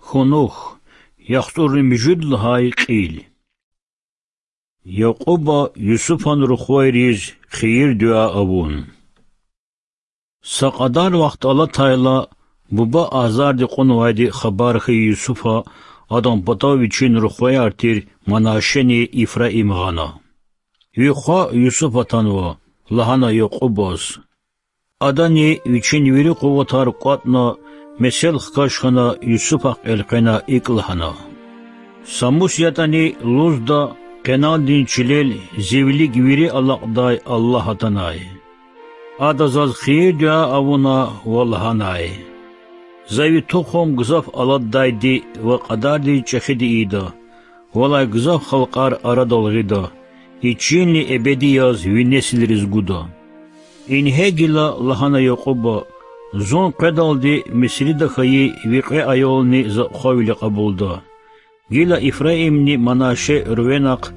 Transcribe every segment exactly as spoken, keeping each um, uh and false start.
Кунух, яхцӏурни муьжуьд лагьай кьил. Якьуба Юсуфан рухвайриз хийир-дуьа авун. Са кьадар вахт алатайла, буба азарди кьунвайди хабар хьайи Юсуфа адан патав вичин рухваяр тир Манашени Ифраим гъана. Ви хва Юсуф атанва,— лагьана Якьубаз. Адани, вичин вири къуватар кӏватӏна, месел хкаж хьана, Юсуфахъ элкъвена икӏ лагьана: Са мус ятӏани лугьуда, Къенандин чилел зи вилик вири алакьдай Аллагь атанай. Ада заз хийир-дуьа авуна ва лагьанай: За ви тухум гзаф алатдайди ва кьадардиз чӏехиди ийида, валай гзаф халкьар арадал гъида, и чилни эбеди яз ви несилриз гуда. Ингье гила,— лагьана Якьуба,— зун къведалди Мисрида хьайи ви кьве аялни за хвавиле кьабулда. Гила Ифраимни Манаше Рувенахъ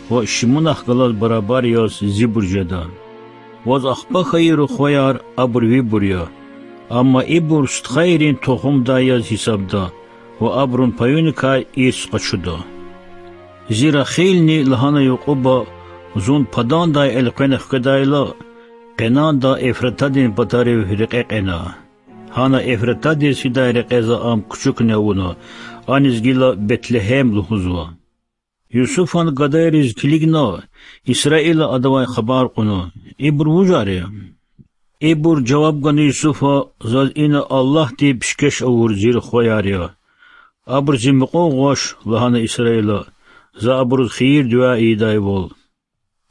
ва Шимунахъ галаз барабар яз зибур жеда. Ваз ахпа хьайи рухваяр абур вибур я, амма ибур стхайрин тухумдай яз гьисабда ва абурун паюникай ирс къачуда. Зи Рахилни,— лагьана Якьуба,— зун Падандай элкъвена хкведайла, Къенанда Эфратадин патарив рекье кьена. Гьана Эфратадиз фидай рекье за ам кучукни авуна, аниз гила Бетлегьем лугьузва. Юсуфан гадайриз килигна, Исраила адавай хабар кьуна: Ибур вужар я? Ибур жаваб гана Юсуфа: Заз ина Аллагьди пишкеш авур зи рухваяр я. Абур зи мукьув гъваш,— лагьана Исраила,— за абуруз хийир-дуьа ийидайвал.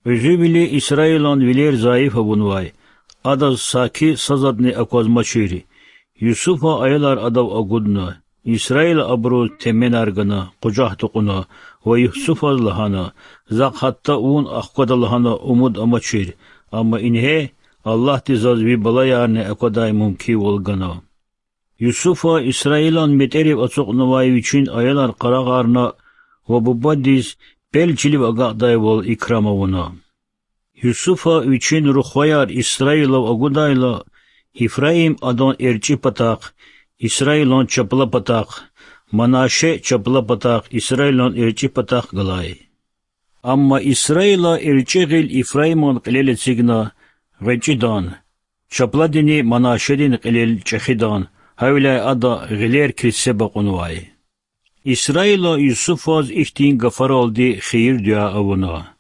Кьуьзуьвили Исраилан вилер зайиф авунвай, адаз саки са затӏни аквазмачир. Юсуфа аялар адав агудна. Исраила абуруз теменар гана, къужах тукьуна ва Юсуфаз лагьана: Захъ гьатта вун ахквада лагьана умуд амачир, амма ингье Аллагьди заз ви балаярни аквадай мумкинвал гана. Юсуфа Исраилан метӏерив ацукьнавай вичин аялар къарагъарна ва бубадиз пел чилив агакьдайвал икрам авуна. Юсуфа вичин рухваяр Исраилав агудайла, Ифраим адан эрчӏи патахъ, Исраилан чапла патахъ, Манаше чапла патахъ, Исраилан эрчӏи патахъ галай. Амма Исраила эрчӏи гъил Ифраиман кьилел эцигна гъвечӏидан, чапладини Манашедин кьилел чӏехидан, гьавиляй ада гъилер килсеба кьунвай. Исраила Юсуфаз ихьтин гафаралди хийир-дуьа авуна: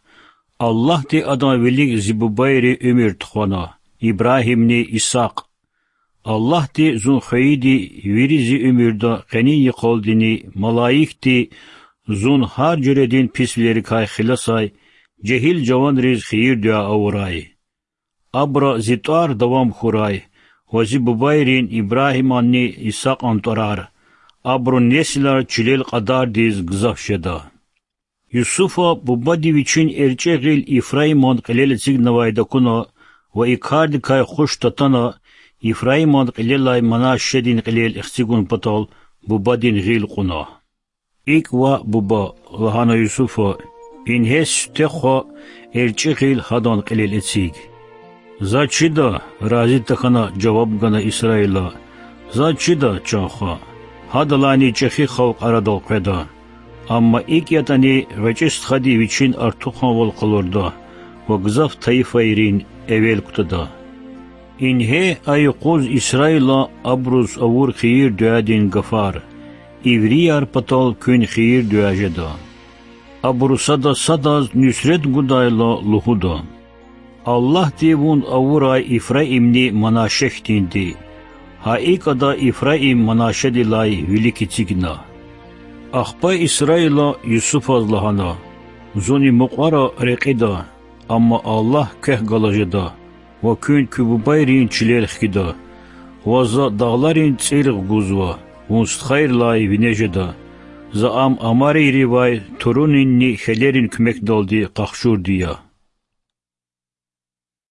Аллагьди адан вилик зи бубайри уьмуьр тухвана, Ибрагьимни Исакь. Аллагьди зун хвейиди вири зи уьмуьрда къенин йикъалдини малаикди зун гьар жуьредин писвилерикай хиласай жегьил жаванриз хийир-дуьа авурай. Абуру зи тӏвар давам хьурай ва зи бубайрин Ибрагьиманни Исакьан тӏварар, абурун несилар чилел кьадардиз гзаф жеда. Юсуфа бубади вичин эрчӏи гъил Ифраиман кьилел эцигнавайди акуна ва и кардикай хуш татана, Ифраиман кьилелай Манашедин кьилел эцигун патал бубадин гъил кьуна. Икӏ ваъ, буба,— лагьана Юсуфа,— ингье сифте хва, эрчӏи гъил гьадан кьилел эциг. За чида,— рази тахьана жаваб гана Исраила,— за чида, чан хва. Гьадалайни чӏехи халкь арадал къведа. Амма икӏ ятӏани, гъвечӏи стхади вичин артуханвал къалурда ва гзаф тайифайрин эвел кутада. Ингье а юкъуз Исраилан абуруз авур хийир-дуьадин гафар, иврияр патал куьн хийир-дуьа жеда. Абуру сада садаз нуьсрет гудайла лугьуда: Аллагьди вун авурай Ифраимни Манаше хьтинди. Гьа икӏ ада Ифраим Манашедилай вилик эцигна. Ахпа Исраила Юсуфаз лагьана: Зун и мукьвара рекьида, амма Аллагь квехъ галаз жеда ва куьн куь бубайрин чилел хкида. Ваз за дагъларин цӏиргъ гузва, вун стхайрилай вине жеда. За ам амарийривай турунинни хьелерин куьмекдалди къахчурди я.